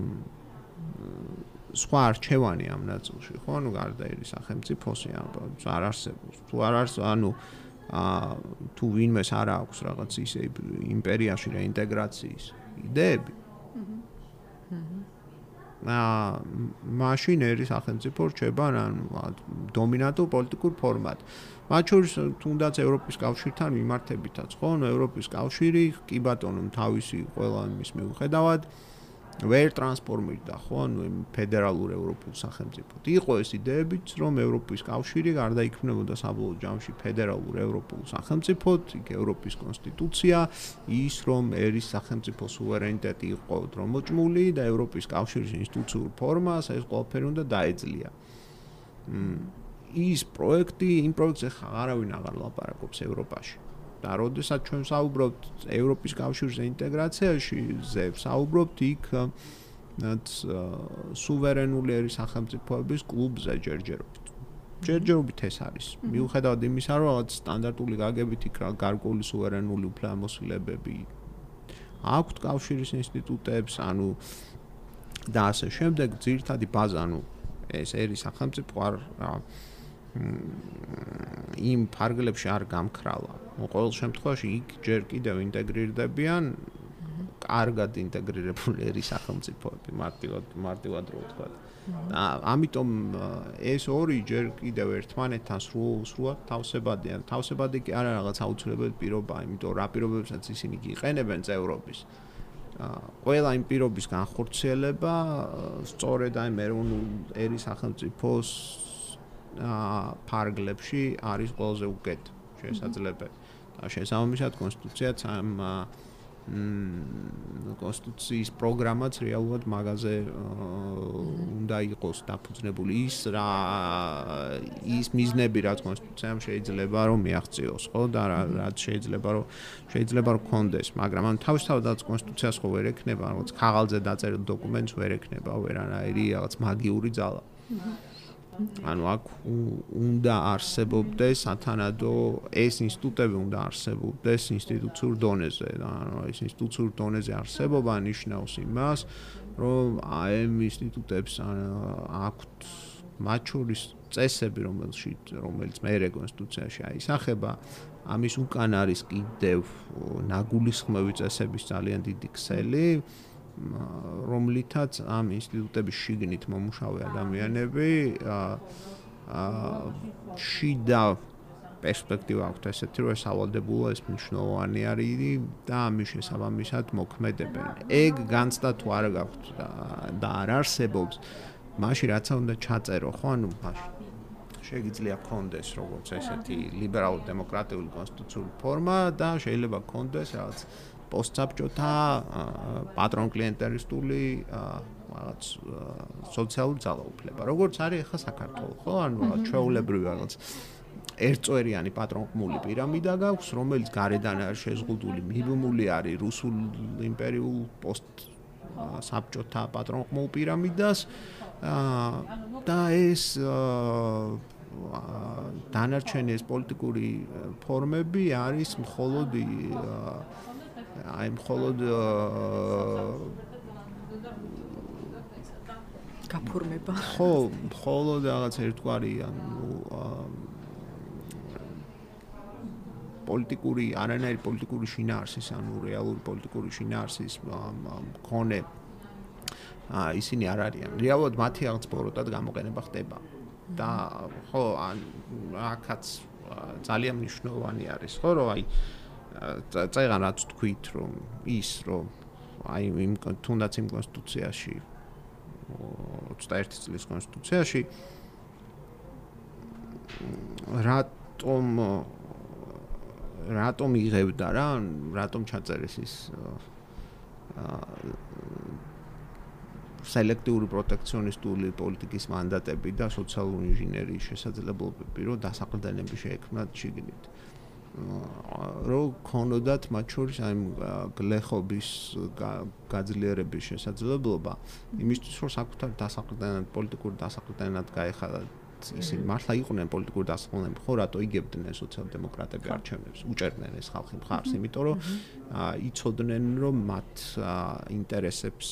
სხვა არჩევანი ამ ნაწილში ხო ანუ გარდა ერი სახელმწიფოსი არ არსებობს თუ არ არის ანუ აა თუ ვინმეს არ აქვს რაღაც ისე იმპერიაში რეინტეგრაციის იდეები აა მაშინ ერი სახელმწიფო რჩება ანუ დომინანტურ პოლიტიკურ ფორმად მათ შორის თუნდაც ევროპის კავშირთან მიმართებითაც ხო ანუ ევროპის კავშირი კი ბატონო თავისი ყველა იმის მიუხედავად ვერ ტრანსფორმირდა ხო ანუ ფედერალურ ევროპულ სახელმწიფოდ იყო ეს იდეებიც რომ ევროპის კავშირი გარდა იქმნებოდა საბოლოო ჯამში ფედერალურ ევროპულ სახელმწიფოდ იქ ევროპის კონსტიტუცია ის რომ ერის სახელმწიფო სუვერენიტეტი იყო დრომოჭმული და ევროპის კავშირის ინსტიტუციურ ფორმას ეს ყველაფერი უნდა დაეძლია ის პროექტი იმ პროექტზე აღარავინ აღარ ლაპარაკობს ევროპაში და როდესაც ჩვენ საუბრობთ ევროპის კავშირის ინტეგრაციაში ზე საუბრობთ იქ რაც სუვერენული ერის სახელმწიფოების კლუბზე ჯერჯერობით ჯერჯერობით ეს არის მიუხედავად იმისა რომ რაღაც სტანდარტული გაგებით იქ გარკვეული სუვერენული უფლებამოსილებები აქვთ კავშირის ინსტიტუტებს ანუ და ასე შემდეგ ძირითადი ბაზა ანუ ეს ერის სახელმწიფო არ იმ ფარგლებში არ გამქრალა. ყოველ შემთხვევაში იქ ჯერ კიდევ ინტეგრირდებიან კარგად ინტეგრირებული ერის სახელმწიფოები, მარტივად მარტივად რო ვთქვა. და ამიტომ ეს ორი ჯერ კიდევ ერთმანეთთან სრულ სრულად თავსებადიან. თავსებადი კი არა რაღაც აუცილებელი პირობა, იმიტომ რა პირობებსაც ისინი იყენებენ წევრობის. ყველა იმ პირობის განხორციელება სწორედ აი ეროვნულ ერის სახელმწიფოს ფარგლებში არის ყველაზე უკეთ შესაძლებელი. და შესაბამისად კონსტიტუციაც ამ კონსტიტუციის პროგრამაც რეალურად მაგაზე უნდა იყოს დაფუძნებული ის რა ის მიზნები რაც კონსტიტუციამ შეიძლება რომ მიაღწიოს ხო და რაც შეიძლება რომ შეიძლება რომ კონდეს მაგრამ ამ თავისთავადაც კონსტიტუციას ხო ვერ ექნება რაღაც ქაღალდზე დაწერილ დოკუმენტს ვერ ექნება ვერანაირი რაღაც მაგიური ძალა ანუ აქ უნდა არსებობდეს სათანადო ეს ინსტიტუტები უნდა არსებობდეს ინსტიტუციურ დონეზე და ანუ ეს ინსტიტუციურ დონეზე არსებობა ნიშნავს იმას რომ აი ამ ინსტიტუტებს აქვთ მათ შორის წესები რომელშიც რომელიც მეერე კონსტიტუციაში აისახება ამის უკან არის კიდევ ნაგულისხმევი წესების ძალიან დიდი ქსელი რომლითაც ამ ინსტიტუტების შიგნით მომუშავე ადამიანები შიდა პერსპექტივა აქვთ ესეთი რომ ეს ავალდებულა ეს მნიშვნელოვანი არის და ამის შესაბამისად მოქმედებენ. ეგ განცდა თუ არ გაქვთ და არ არსებობს მაშინ რაც უნდა ჩაწერო ხო ანუ მაშინ შეიძლება კონდეს როგორც ესეთი ლიბერალურ დემოკრატიული კონსტიტუციური ფორმა და შეიძლება კონდეს რაღაც პოსტსაბჭოთა პატრონ-კლიენტელისტული რაღაც სოციალური ძალაუფლება. როგორც არის ახლა საქართველოს, ხო? ანუ ჩვეულებრივი რაღაც ერთწვერიანი პატრონყმული პირამიდა გაქვს, რომელიც გარედან არის შეზღუდული, მიბმული არის რუსულ იმპერიულ პოსტსაბჭოთა პატრონყმულ პირამიდას და ეს დანარჩენი ეს პოლიტიკური ფორმები არის მხოლოდ აი მხოლოდ გაფორმება. ხო, მხოლოდ რაღაც ერთგვარი ანუ პოლიტიკური, არანაირი პოლიტიკური შინაარსის, ანუ რეალური პოლიტიკური შინაარსის მქონე აა ისინი არ არიან. რეალურად მათი რაღაც ბოროტად გამოყენება ხდება. და ხო, ან აქაც ძალიან მნიშვნელოვანი არის, ხო, რომ აი წეგან რაც თქვით, რომ ის რომ აი იმ თუნდაც იმ კონსტიტუციაში ოცდაერთი წლის კონსტიტუციაში რატომ რატომ იღებდა რა, რატომ ჩაწერეს ის სელექტიური პროტექციონისტული პოლიტიკის მანდატები და სოციალური ინჟინერიის შესაძლებლობები, რომ დასაყრდენები შეექმნათ შიგნით. რომ ქონოდათ მათ შორის აი გლეხობის გაძლიერების შესაძლებლობა, იმისთვის რომ საკუთარ დასაყრდენად, პოლიტიკურ დასაყრდენად გაეხადათ ისინი მართლა იყვნენ პოლიტიკური დასაყრდენები, ხო, რატო იგებდნენ სოციალ-დემოკრატები არჩევნებს, უჭერდნენ ეს ხალხი მხარს, იმიტომ რომ იცოდნენ, რომ მათ ინტერესებს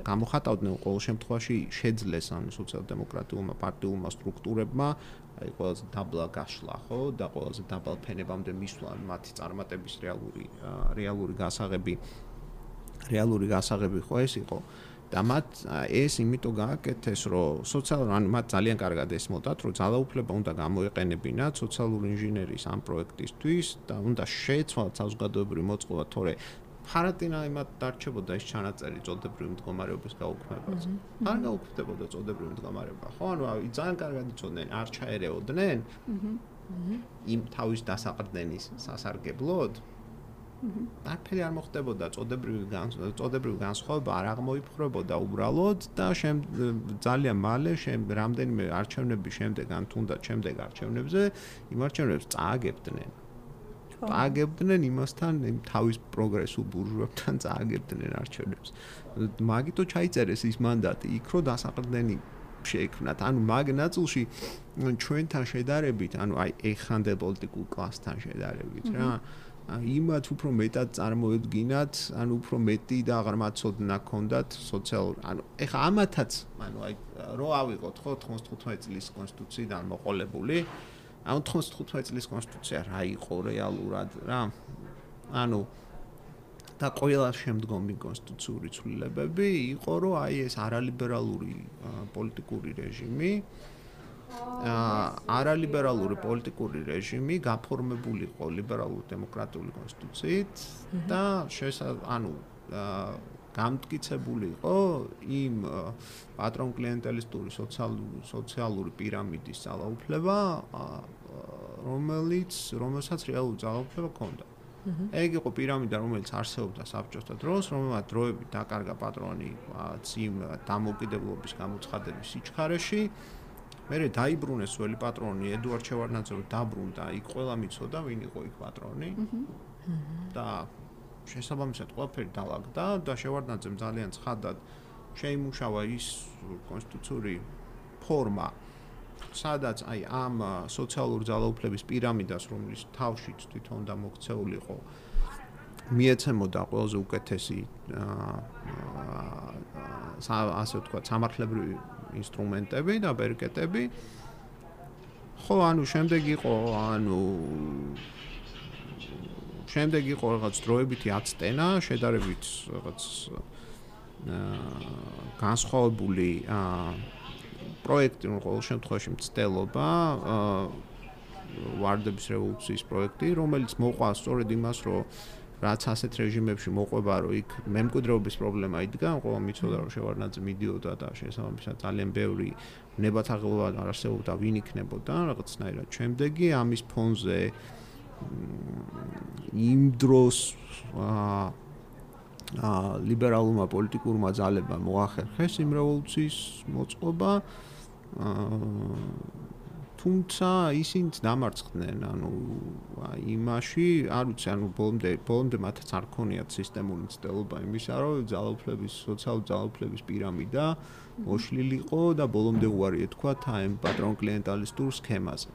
გამოხატავდნენ, ყოველ შემთხვევაში შეძლეს ამ სოციალ-დემოკრატიულმა პარტიულმა სტრუქტურებმა აი ყველაზე დაბლა გაშლა, ხო, და ყველაზე დაბალ ფენებამდე მისვლა მათი წარმატების რეალური რეალური გასაღები რეალური გასაღები ხო ეს იყო და მათ ეს იმიტომ გააკეთეს, რომ სოციალურ ან მათ ძალიან კარგად ესმოდათ, რომ ძალაუფლება უნდა გამოეყენებინათ სოციალური ინჟინერიის ამ პროექტისთვის და უნდა შეეცვალათ საზოგადოებრივი მოწყობა, თორე ფარატინა იმათ დარჩებოდა ის ჩანაწერი წოდებრივი მდგომარეობის გაუქმებას. არ გაუქმდებოდა წოდებრივი მდგომარეობა, ხო? ანუ ძალიან კარგად იცოდნენ, არ ჩაერეოდნენ იმ თავის დასაყრდენის სასარგებლოდ. არაფერი არ მოხდებოდა, წოდებრივი წოდებრივი განსხვავება არ აღმოიფხვრებოდა უბრალოდ და ძალიან მალე რამდენიმე არჩევნების შემდეგ ან თუნდაც შემდეგ არჩევნებზე იმ არჩევნებს წააგებდნენ. წააგებდნენ იმასთან, იმ თავის პროგრესულ ბურჟუებთან წააგებდნენ არჩევნებს. მაგითო ჩაიწერეს ის მანდატი, იქ რო დასაყრდენი შეექმნათ. ანუ მაგ ნაწილში ჩვენთან შედარებით, ანუ აი ეხანდელ პოლიტიკურ კლასთან შედარებით რა იმათ უფრო მეტად წარმოედგინათ, ანუ უფრო მეტი და აღარ მაცოდნა ქონდათ სოციალურ, ანუ ეხა ამათაც, ანუ აი რო ავიღოთ ხო თხმოცდათხუთმეტი წლის კონსტიტუციიდან მოყოლებული, ანუ თხმოცდათხუთმეტი წლის კონსტიტუცია რა იყო რეალურად რა? ანუ და ყველა შემდგომი კონსტიტუციური ცვლილებები იყო, რომ აი ეს არალიბერალური პოლიტიკური რეჟიმი არალიბერალური პოლიტიკური რეჟიმი გაფორმებული იყო ლიბერალურ დემოკრატიული კონსტიტუციით და ანუ გამტკიცებული იყო იმ პატრონ-კლიენტელისტური სოციალური პირამიდის ძალაუფლება, რომელიც რომელსაც რეალური ძალაუფლება ჰქონდა. ეგ იყო პირამიდა, რომელიც არსებობდა საბჭოთა დროს, რომელმაც დროებით დაკარგა პატრონი წინ დამოუკიდებლობის გამოცხადების სიჩქარეში. მერე დაიბრუნეს ძველი პატრონი ედუარდ შევარდნაძე დაბრუნდა, იქ ყველა მიცოდა ვინ იყო იქ პატრონი. და შესაბამისად ყველაფერი დაალაგდა და შევარდნაძემ ძალიან ცხადად შეიმუშავა ის კონსტიტუციური ფორმა, სადაც აი ამ სოციალური ძალაუფლების პირამიდას, რომლის თავშიც თვითონ და მოქცეული იყო, მიეცემოდა ყველაზე უკეთესი ასე ვთქვათ, სამართლებრივი ინსტრუმენტები და ბერკეტები. ხო, ანუ შემდეგ იყო, ანუ შემდეგ იყო რაღაც დროებითი აცტენა, შედარებით რაღაც განსხვავებული პროექტი, ყოველ შემთხვევაში მცდელობა, ვარდების რევოლუციის პროექტი, რომელიც მოყვა სწორედ იმას, რომ რაც ასეთ რეჟიმებში მოყვება, რომ იქ მემკვიდრეობის პრობლემა იდგა, ყველა მიცოდა, რომ შევარდნაძე მიდიოდა და შესაბამისად ძალიან ბევრი ნებათაღელობა არსებობდა, ვინ იქნებოდა რაღაცნაირად. შემდეგი ამის ფონზე იმ დროს ლიბერალურმა პოლიტიკურმა ძალებმა მოახერხეს იმ რევოლუციის მოწყობა, თუმცა ისინიც დამარცხდნენ, ანუ იმაში, არ ვიცი, ანუ ბოლომდე ბოლომდე მათაც არ ქონიათ სისტემური მცდელობა იმისა, რომ ძალაუფლების, სოციალური ძალაუფლების პირამიდა მოშლილიყო და ბოლომდე უარი ეთქვათ ამ პატრონ-კლიენტალისტურ სქემაზე.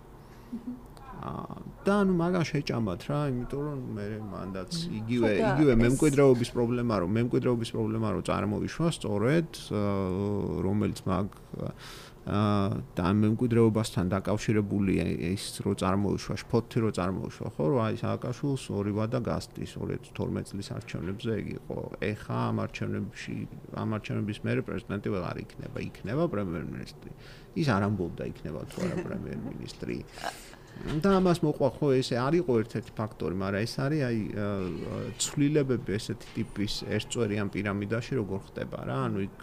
და ანუ მაგას შეჭამათ რა, იმიტომ რომ მე მანდაც იგივე იგივე მემკვიდრეობის პრობლემა, რომ მემკვიდრეობის პრობლემა რომ წარმოვიშვა სწორედ, რომელიც მაგ და ამ მემკვიდრეობასთან დაკავშირებული ის რო წარმოიშვა, შფოთი რო წარმოიშვა, ხო, რომ აი სააკაშვილს ორი ვადა გასტის ორი ათი თორმეტი წლის არჩევნებზე ეგ იყო. ეხა ამ არჩევნებში, ამ არჩევნების მერე პრეზიდენტი ვეღარ იქნება, იქნება პრემიერ-მინისტრი. ის არ ამბობდა იქნება თუ არა პრემიერ-მინისტრი. და ამას მოყვა ხო ესე არ იყო ერთ-ერთი ფაქტორი, მაგრამ ეს არის აი ცვლილებები ესეთი ტიპის ერთწვერიან პირამიდაში როგორ ხდება რა, ანუ იქ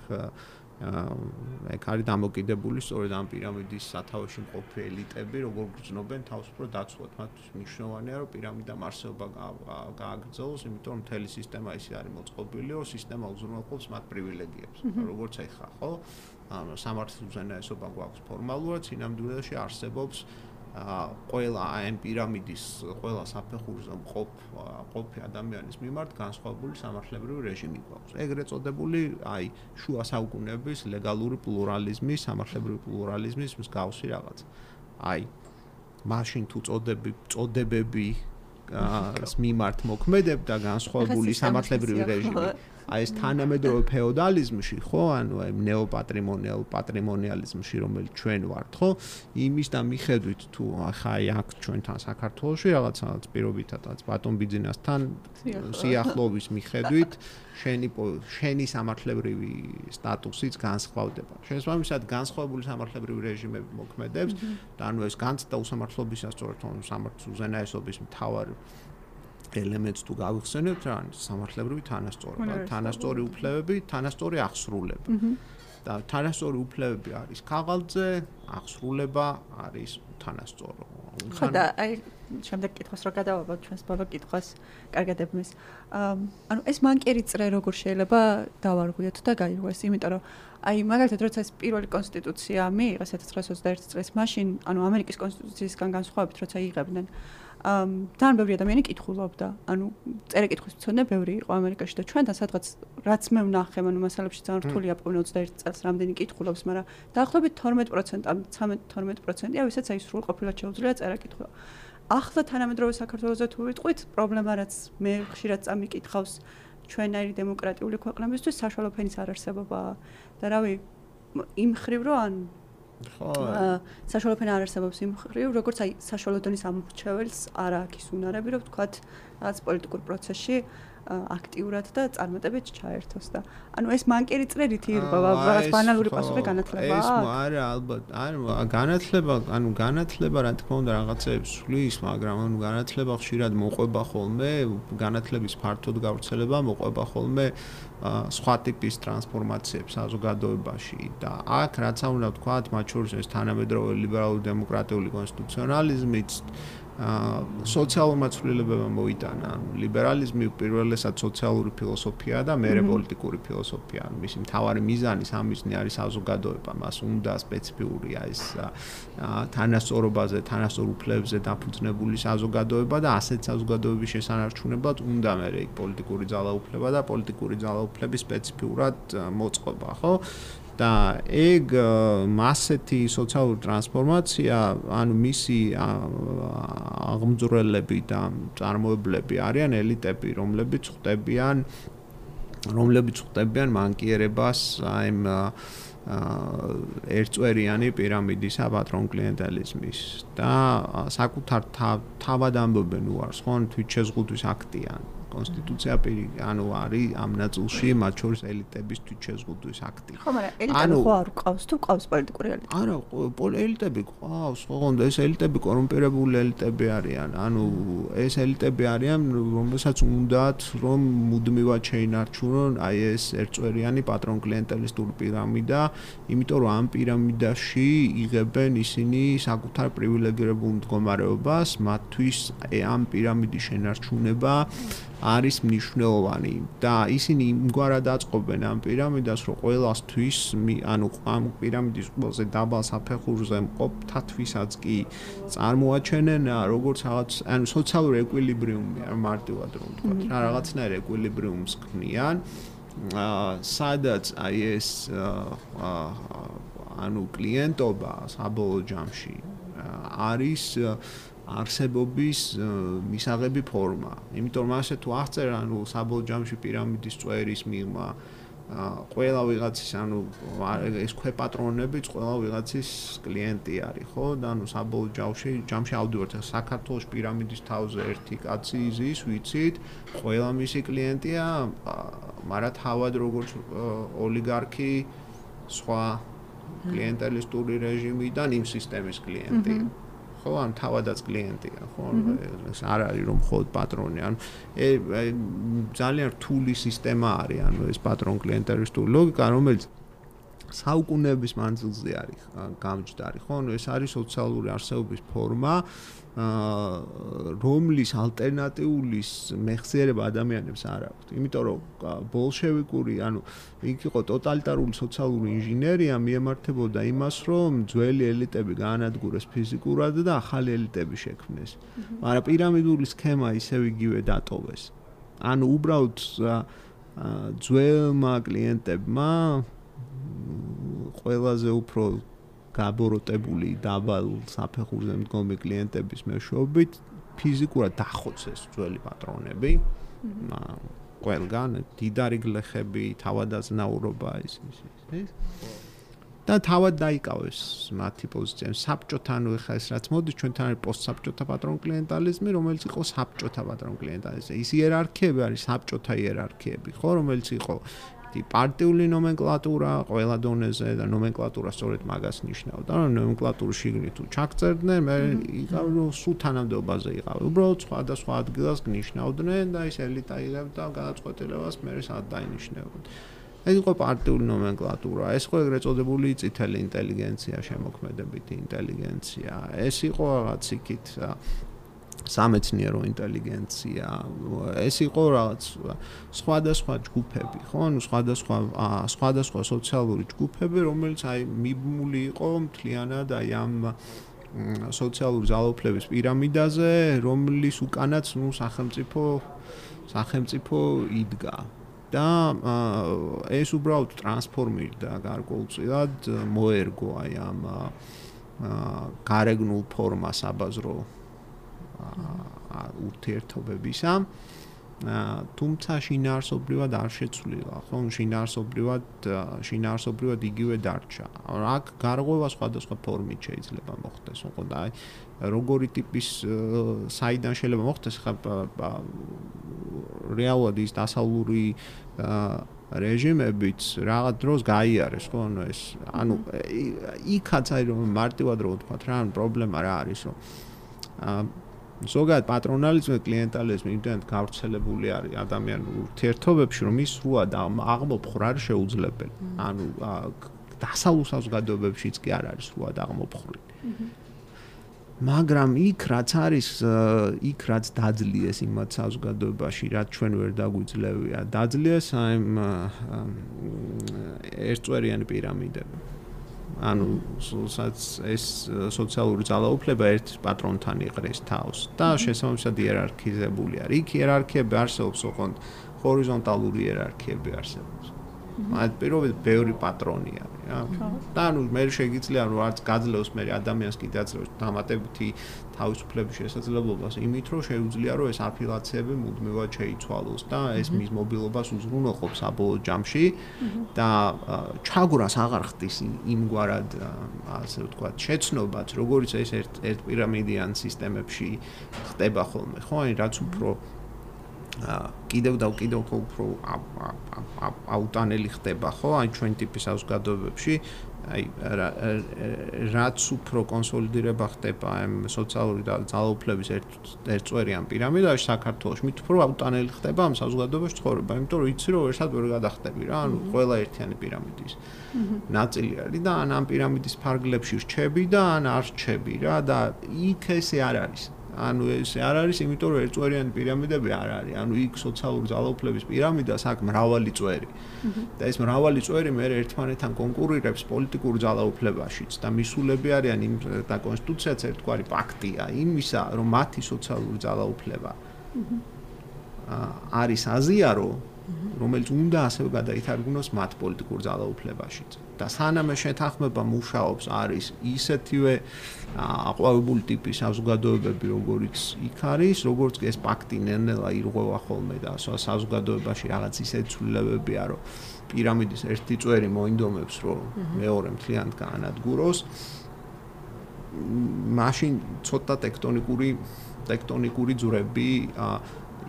ეგ არის დამოკიდებული სწორედ ამ პირამიდის სათავეში მყოფი ელიტები, როგორ გრძნობენ თავს უფრო დაცულად. მათთვის მნიშვნელოვანია, რომ პირამიდამ არსებობა გააგრძელოს, იმიტომ რომ მთელი სისტემა ისე არის მოწყობილი, რომ სისტემა უზრუნველყოფს მათ პრივილეგიებს. როგორც ეხლა, ხო? ანუ სამართლის უზენაესობა გვაქვს ფორმალურად, სინამდვილეში არსებობს ყველა ამ პირამიდის ყველა საფეხურზე მყოფ ყოფი ადამიანის მიმართ განსხვავებული სამართლებრივი რეჟიმი გვაქვს. ეგრეთ წოდებული, აი, შუა საუკუნეების ლეგალური პლურალიზმის, სამართლებრივი პლურალიზმის მსგავსი რაღაც. აი, მაშინ თუ წოდები წოდებები ას მიმართ მოქმედებდა განსხვავებული სამართლებრივი რეჟიმი. აი ეს თანამედროვე ფეოდალიზმში, ხო, ანუ აი ნეოპატრიმონიალ პატრიმონიალიზმში, რომელიც ჩვენ ვართ, ხო, იმის და მიხედვით თუ ახლა აი აქ ჩვენთან საქართველოში რაღაცა პირობითადაც ბატონ ბიძინასთან სიახლოვის მიხედვით შენი შენი სამართლებრივი სტატუსიც განსხვავდება. შესაბამისად, განსხვავებული სამართლებრივი რეჟიმები მოქმედებს და ანუ ეს განცდა უსამართლობისა სწორედ სამართლის უზენაესობის მთავარ ელემენტს თუ გავიხსენებთ, რა არის სამართლებრივი თანასწორობა, თანასწორი უფლებები, თანასწორი აღსრულება. და თანასწორი უფლებები არის ქაღალდზე, აღსრულება არის თანასწორო. ხო და აი შემდეგ კითხოს რა გადავაბავ ჩვენს ბოლო კითხვას, კარგად ებმის. ანუ ეს მანკიერი წრე როგორ შეიძლება დავარღვიოთ და გაირღვეს, იმიტომ რომ აი მაგალითად როცა ეს პირველი კონსტიტუცია მიიღეს ათას ცხრაას ოცდაერთი წელს, მაშინ ანუ ამერიკის კონსტიტუციისგან განსხვავებით როცა იღებდნენ ძალიან ბევრი ადამიანი კითხულობდა, ანუ წერა-კითხვის მცოდნე ბევრი იყო ამერიკაში და ჩვენთან სადღაც რაც მე ვნახე, ანუ მასალებში ძალიან რთულია პოვნა ოცდაერთი წელს რამდენი კითხულობს, მაგრამ დაახლოებით თორმეტ პროცენტი, ცხრამეტ თორმეტ პროცენტია, ვისაც აი სრულყოფილად შეუძლია წერა-კითხვა. ახლა თანამედროვე საქართველოზე თუ ვიტყვით, პრობლემა რაც მე ხშირად წამიკითხავს ჩვენაირი დემოკრატიული ქვეყნებისთვის საშუალო ფენის არარსებობაა და რავი, იმ ხრივ რომ ან ხო საშუალო ფენა არ არსებობს იმ ხრივ, როგორც აი საშუალო დონის ამორჩეველს არ აქვს ის უნარები, რომ ვთქვათ, რაღაც პოლიტიკურ პროცესში აქტიურად და წარმატებით ჩაერთოს და ანუ ეს მანკიერი წრე რითი ირღვევა, რაღაც ბანალური პასუხი განათლება აქვს? ეს არა, ალბათ, ანუ განათლება, ანუ განათლება რა თქმა უნდა რაღაცებს სვლის, მაგრამ ანუ განათლება ხშირად მოყვება ხოლმე, განათლების ფართოდ გავრცელება მოყვება ხოლმე სხვა ტიპის ტრანსფორმაციებს საზოგადოებაში და აქ რაც უნდა ვთქვათ, მათ შორის ეს თანამედროვე ლიბერალური დემოკრატიული კონსტიტუციონალიზმიც სოციალურმა ცვლილებებმა მოიტანა. ანუ ლიბერალიზმი პირველესად სოციალური ფილოსოფიაა და მერე პოლიტიკური ფილოსოფია. მისი მთავარი მიზანი სამიზნე არის საზოგადოება, მას უნდა სპეციფიურია ეს თანასწორობაზე, თანასწორ უფლებებზე დაფუძნებული საზოგადოება და ასეთ საზოგადოების შესანარჩუნებლად უნდა მერე იქ პოლიტიკური ძალაუფლება და პოლიტიკური ძალაუფლების სპეციფიურად მოწყობა, ხო? და ეგ მასეთი სოციალური ტრანსფორმაცია, ანუ მისი აღმძვრელები და წარმოებლები არიან ელიტები, რომლებიც ხვდებიან რომლებიც ხვდებიან მანკიერებას აი ერთწვერიანი პირამიდისა პატრონ კლიენტელიზმის და საკუთარ თავად ამბობენ უარს, ხო, თვითშეზღუდვის აქტია კონსტიტუცია პირი, ანუ არის ამ ნაწილში მათ შორის ელიტების თვითშეზღუდვის აქტი. ხო, მაგრამ ელიტები ხო არ ყავს, თუ ყავს პოლიტიკური ელიტები? არა, ელიტები ყავს, ოღონდ ეს ელიტები კორუმპირებული ელიტები არიან. ანუ ეს ელიტები არიან, რომელსაც უნდათ რომ მუდმივად შეინარჩუნონ აი ეს ერთწვერიანი პატრონ კლიენტელისტური პირამიდა, იმიტომ რომ ამ პირამიდაში იღებენ ისინი საკუთარ პრივილეგირებულ მდგომარეობას, მათთვის ამ პირამიდის შენარჩუნება არის მნიშვნელოვანი და ისინი იმგვარად აწყობენ ამ პირამიდას, რომ ყველასთვის, ანუ ამ პირამიდის ყველაზე დაბალ საფეხურზე მყოფთათვისაც კი წარმოაჩენენ როგორც რაღაც, ანუ სოციალური ეკვილიბრიუმი არ მარტივად რომ ვთქვათ, რა რაღაცნაირ ეკვილიბრიუმს ქმნიან, სადაც აი ეს ანუ კლიენტობა საბოლოო ჯამში არის არსებობის მისაღები ფორმა. იმიტომ რომ ასე თუ აღწერ, ანუ საბოლოო ჯამში პირამიდის წვერის მიღმა ყველა ვიღაცის, ანუ ეს ქვეპატრონებიც ყველა ვიღაცის კლიენტი არის, ხო? და ანუ საბოლოო ჯამში, ჯამში ავდივართ საქართველოს პირამიდის თავზე ერთი კაცი ზის, ვიცით, ყველა მისი კლიენტია, მაგრამ თავად როგორც ოლიგარქი, სხვა კლიენტელისტური რეჟიმიდან იმ სისტემის კლიენტი. ხო ან თავადაც კლიენტია ხო ეს არ არის რომ მხოლოდ პატრონი ანუ ძალიან რთული სისტემა არის ანუ ეს პატრონ კლიენტერისტული ლოგიკა რომელიც საუკუნეების მანძილზე არის გამჯდარი ხო ანუ ეს არის სოციალური არსებობის ფორმა რომლის ალტერნატიულის მეხსიერება ადამიანებს არ აქვს იმიტომ რომ ბოლშევიკური ანუ იქ იყო ტოტალიტარული სოციალური ინჟინერია მიემართებოდა იმას რომ ძველი ელიტები გაანადგურეს ფიზიკურად და ახალი ელიტები შექმნეს მაგრამ პირამიდული სქემა ისევ იგივე დატოვეს ანუ უბრალოდ ძველმა კლიენტებმა ყველაზე უფრო გაბოროტებული დაბალ საფეხურზე მდგომი კლიენტების მეშვეობით ფიზიკურად დახოცეს ძველი პატრონები ყველგან დიდარი გლეხები თავადაზნაურობა ის ის და თავად დაიკავეს მათი პოზიციები საბჭოთან ხა ეს რაც მოდის ჩვენთან არის პოსტსაბჭოთა პატრონ კლიენტალიზმი რომელიც იყო საბჭოთა პატრონ კლიენტალიზმი ის იერარქიები არის საბჭოთა იერარქიები ხო რომელიც იყო პარტიული ნომენკლატურა ყველა დონეზე და ნომენკლატურა სწორედ მაგას ნიშნავდა რომ ნომენკლატურის შიგნით თუ ჩაგწერდნენ მე იგავ სულ თანამდებობაზე იყავი უბრალოდ სხვადასხვა ადგილას ნიშნავდნენ და ის ელიტა იღებდა გადაწყვეტილებას მე სადაც დაინიშნებოდა ეს იყო პარტიული ნომენკლატურა ეს იყო ეგრეთ წოდებული წითელი ინტელიგენცია შემოქმედებითი ინტელიგენცია ეს იყო რაღაც იქით სამეცნიერო ინტელიგენცია ეს იყო რაღაც სხვადასხვა ჯგუფები ხო ანუ სხვადასხვა სხვადასხვა სოციალური ჯგუფები რომელიც აი მიბმული იყო მთლიანად აი ამ სოციალური ძალაუფლების პირამიდაზე რომლის უკანაც ნუ სახელმწიფო სახელმწიფო იდგა და ეს უბრალოდ ტრანსფორმირდა გარკვეულწილად მოერგო აი ამ გარეგნულ ფორმას აბაზრო ურთიერთობებისა თუმცა შინაარსობრივად არ შეცვლილა ხო შინაარსობრივად შინაარსობრივად იგივე დარჩა აქ გარღვევა სხვადასხვა ფორმით შეიძლება მოხდეს ხო და აი როგორი ტიპის საიდან შეიძლება მოხდეს ხა რეალურად ის დასავლური რეჟიმებიც რაღაც დროს გაიარეს ხო ანუ ეს ანუ იქაც აი რომ მარტივად რო ვთქვათ რა ანუ პრობლემა რა არის რომ ზოგადად პატრონალიზმი კლიენტალიზმი იმდენად გავრცელებული არის ადამიანურ ურთიერთობებში რომ ის სრულად აღმოფხვრა არ შეუძლებელი ანუ დასავლურ საზოგადოებებშიც კი არ არის სრულად აღმოფხვრილი მაგრამ იქ რაც არის იქ რაც დაძლიეს იმათ საზოგადოებაში რაც ჩვენ ვერ დაგვიძლევია დაძლიეს აი ერთწვერიანი პირამიდები ანუ ეს სოციალური ძალაუფლება ერთ პატრონთან იყრეს თავს და შესაბამისად იერარქიზებული არის. იქ იერარქიები არსებობს, ოღონდ ჰორიზონტალური იერარქიები არსებობს. მათ პირობით ბევრი პატრონი არის, რა. და ანუ მე შეგიძლია რომ არც გაძლევს მე ადამიანს კიდე აძლევს დამატებითი თავისუფლების შესაძლებლობას იმით რომ შეუძლია რომ ეს აფილაციები მუდმივად შეიცვალოს და ეს მის მობილობას უზრუნველყოფს საბოლოო ჯამში და ჩაგვრას აღარ ხდის იმგვარად ასე ვთქვათ შეცნობაც როგორც ეს ერთ ერთ პირამიდიან სისტემებში ხდება ხოლმე ხო აი რაც უფრო კიდევ და კიდევ უფრო აუტანელი ხდება ხო აი ჩვენ ტიპის საზოგადოებებში აი რაც უფრო კონსოლიდირება ხდება ამ სოციალური ძალაუფლების ერთწვერიან პირამიდაში საქართველოში მით უფრო აუტანელი ხდება ამ საზოგადოებაში ცხოვრება იმიტომ რომ იცი რომ ერთად ვერ გადახდები რა ანუ ყველა ერთიანი პირამიდის ნაწილი არის და ან ამ პირამიდის ფარგლებში რჩები და ან არ რჩები რა და იქ ესე არ არის ანუ ეს არ არის იმიტომ რომ ერთწვერიანი პირამიდები არ არის ანუ იქ სოციალური ძალაუფლების პირამიდას აქ მრავალი წვერი და ეს მრავალი წვერი მე ერთმანეთთან კონკურირებს პოლიტიკურ ძალაუფლებაშიც და მისულები არიან იმ და კონსტიტუციაც ერთგვარი პაქტია იმისა რომ მათი სოციალური ძალაუფლება არის აზიარო რომელიც უნდა ასევე გადაითარგმნოს მათ პოლიტიკურ ძალაუფლებაშიც და სანამ შეთანხმება მუშაობს არის ისეთივე აყვავებული ტიპის საზოგადოებები როგორც იქ არის როგორც ეს პაქტი ნელ-ნელა ირღვევა ხოლმე და საზოგადოებაში რაღაც ისეთი ცვლილებებია რომ პირამიდის ერთი წვერი მოინდომებს რომ მეორე მთლიანად გაანადგუროს მაშინ ცოტა ტექტონიკური ტექტონიკური ძვრები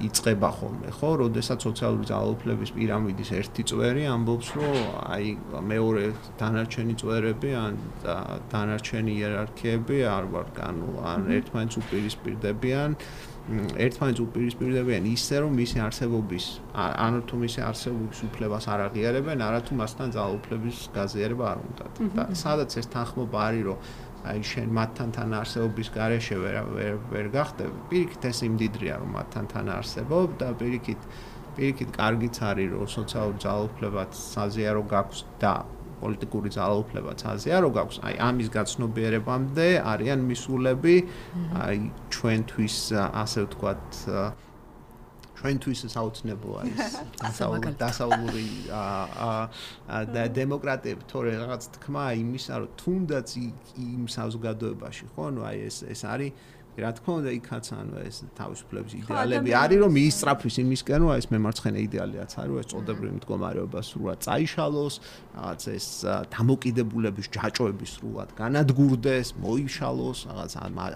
იწყება ხოლმე, ხო, როდესაც სოციალური ძალაუფლების პირამიდის ერთი წვერი ამბობს, რომ აი მეორე დანარჩენი წვერები ან დანარჩენი იერარქიები არ ვარ განო, ან ერთმანეთს უპირისპირდებიან, ერთმანეთს უპირისპირდებიან ისე, რომ მისი არსებობის, ანუ თუ მისი არსებობის უფლებას არ აღიარებენ, არათუ მასთან ძალაუფლების გაზიარება არ უნდათ. და სადაც ეს თანხმობა არის, რომ აი შენ მათთან თანაარსებობის გარეშე ვერ ვერ ვერ გახდებ, პირიქით ეს იმდიდრია, რომ მათთან თანაარსებობ და პირიქით პირიქით კარგიც არის, რომ სოციალური ძალაუფლებაც საზიარო გაქვს და პოლიტიკური ძალაუფლებაც საზიარო გაქვს, აი ამის გაცნობიერებამდე არიან მისულები, აი ჩვენთვის ასე ვთქვათ ჩვენთვის საოცნებო არის დასავლური და დემოკრატიები თორე რაღაც თქმა იმისა, რომ თუნდაც იმ საზოგადოებაში, ხო, ანუ აი ეს ეს არის რა თქმა უნდა იქაც ანუ ეს თავისუფლების იდეალები არის რომ მიისწრაფვის იმისკენ რომ ეს მემარცხენე იდეალიაც არის რომ ეს წოდებრივი მდგომარეობა სრულად წაიშალოს რაღაც ეს დამოკიდებულების ჯაჭვების სრულად განადგურდეს მოიშალოს რაღაც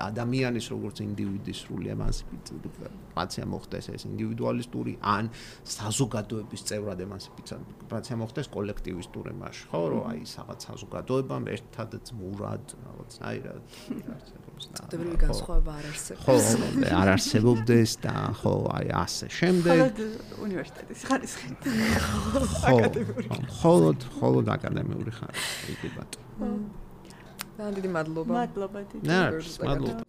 ადამიანის როგორც ინდივიდის სრული ემანციპაცია მოხდეს ეს ინდივიდუალისტური ან საზოგადოების წევრად ემანციპაცია მოხდეს კოლექტივისტური მასში ხო რომ აი რაღაც საზოგადოებამ ერთად ძმურად რაღაცნაირად წოდებრივი განსხვავება არ არსებობს. ხო, არ არსებობდეს და ხო, აი ასე. შემდეგ მხოლოდ უნივერსიტეტის ხარისხი. აკადემიური. მხოლოდ, მხოლოდ აკადემიური ხარისხი, იგი ბატონო. და დიდი მადლობა. მადლობა დიდი. მადლობა.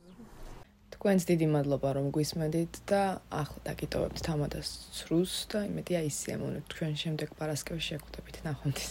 თქვენს დიდი მადლობა რომ გვისმენთ და ახლა დაგიტოვებთ თამადას ცრუს და იმედია ისიამოვნებთ თქვენ შემდეგ პარასკევში შეხვდებით ნახვამდის.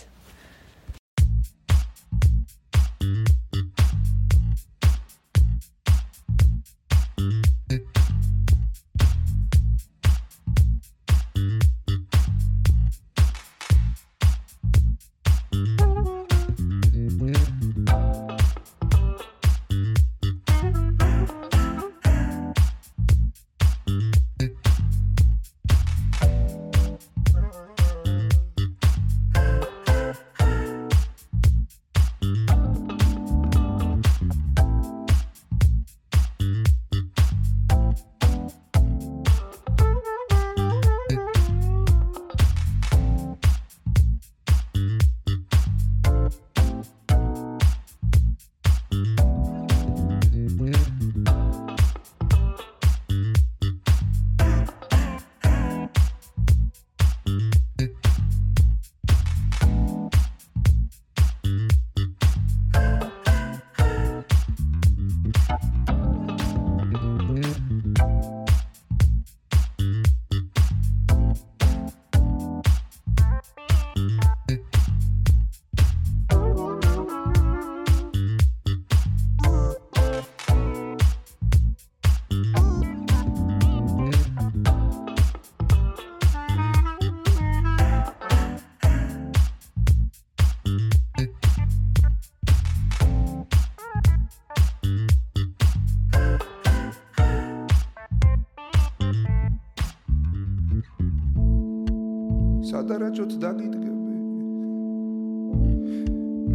სადარაჯოთ დაგიდგები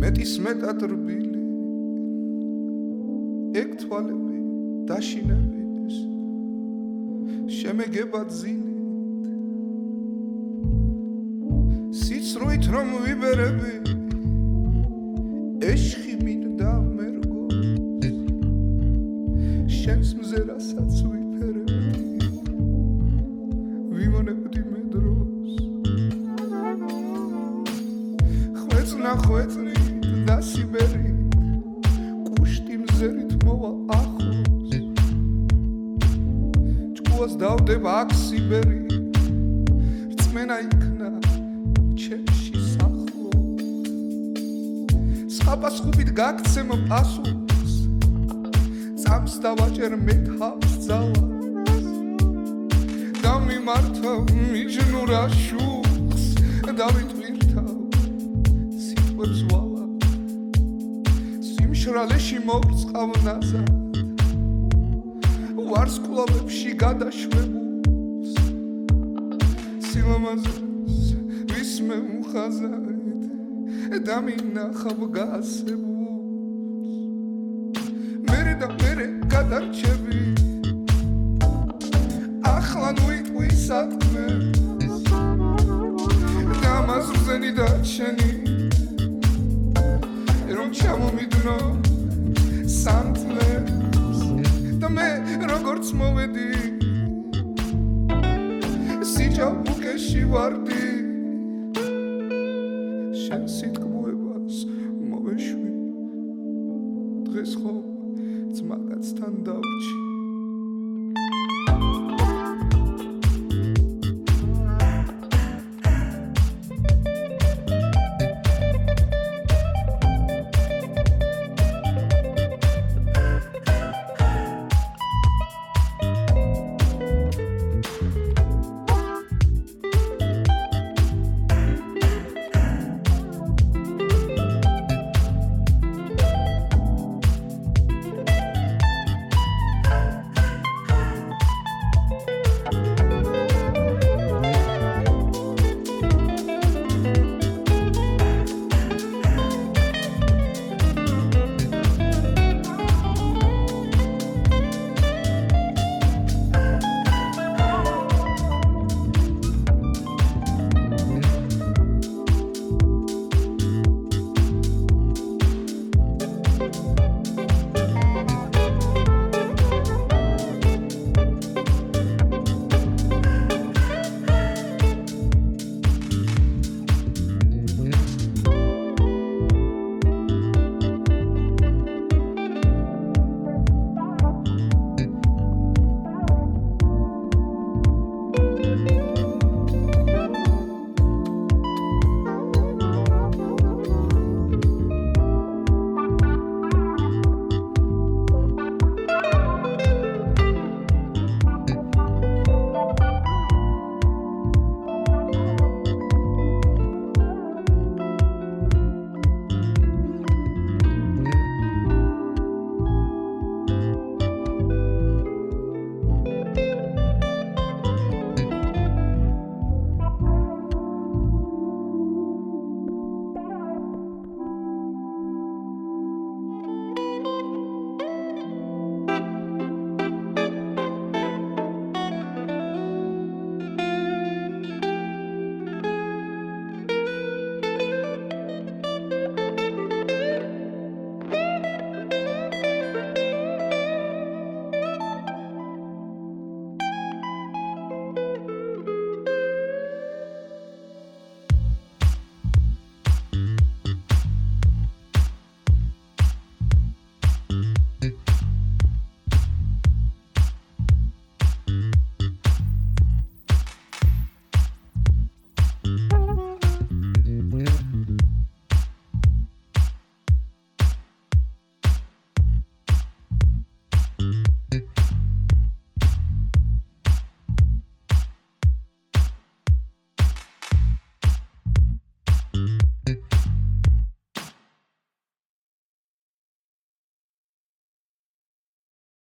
მეტის მეტად რბილი ეგ თვალები დაშინების შემეგება ძილით სიცრუით რომ ვიბერები ეშხი მინდა მერგოს შენს მზერასაც ვიფერებდი ვიმონებდი მე დროს ხვეწნი და სიბერი კუშტი მზერით მოვა ახლოს ჭკუას დავდება აქ სიბერი რწმენა იქნა ჩემში სახლო სხაპასხუბით გაქცემ პასუხს წამს დავაჭერ მე თავს ძალას დამიმართავ მიჯნურა შუხს დავიტვირთავ ზვალა სიმშრალეში მოვწყავ ნაზად ვარსკვლავებში გადაშვებულს სილამაზეს ვისმე მხაზად დამინახავ გასებულს მერე და მერე გადარჩები ახლა მან უიტყვი საქმეს და მას რძენი დაჩენი რომ ჩამომიდნო სანთლებს და მე როგორც მოვედი სიჯაბუკეში ვარდი